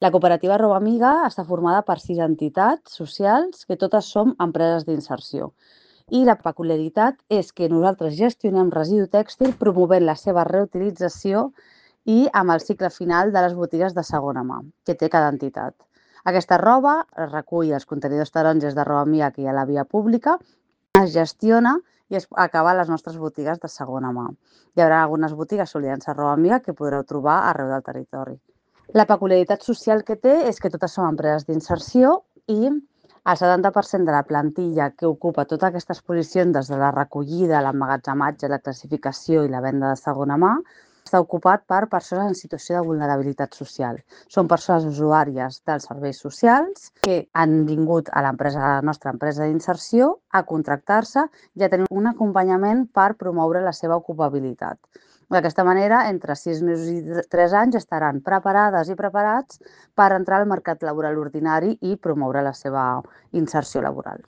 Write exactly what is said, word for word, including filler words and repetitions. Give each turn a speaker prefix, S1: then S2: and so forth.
S1: La cooperativa Roba Amiga està formada per sis entitats socials que totes som empreses d'inserció. I la peculiaritat és que nosaltres gestionem residu tèxtil promovent la seva reutilització i amb el cicle final de les botigues de segona mà que té cada entitat. Aquesta roba es recull als contenidors taronges de Roba Amiga que hi ha a la via pública, es gestiona i es acaba a les nostres botigues de segona mà. Hi haurà algunes botigues solidàries a Roba Amiga que podreu trobar arreu del territori. La peculiaritat social que té és que totes som empreses d'inserció i el setanta per cent de la plantilla que ocupa totes aquestes posicions, des de la recollida, l'emmagatzematge, la classificació i la venda de segona mà, està ocupat per persones en situació de vulnerabilitat social. Són persones usuàries dels serveis socials que han vingut a l'empresa, a la nostra empresa d'inserció a contractar-se i a tenir un acompanyament per promoure la seva ocupabilitat. D'aquesta manera, entre sis mesos i tres anys estaran preparades i preparats per entrar al mercat laboral ordinari i promoure la seva inserció laboral.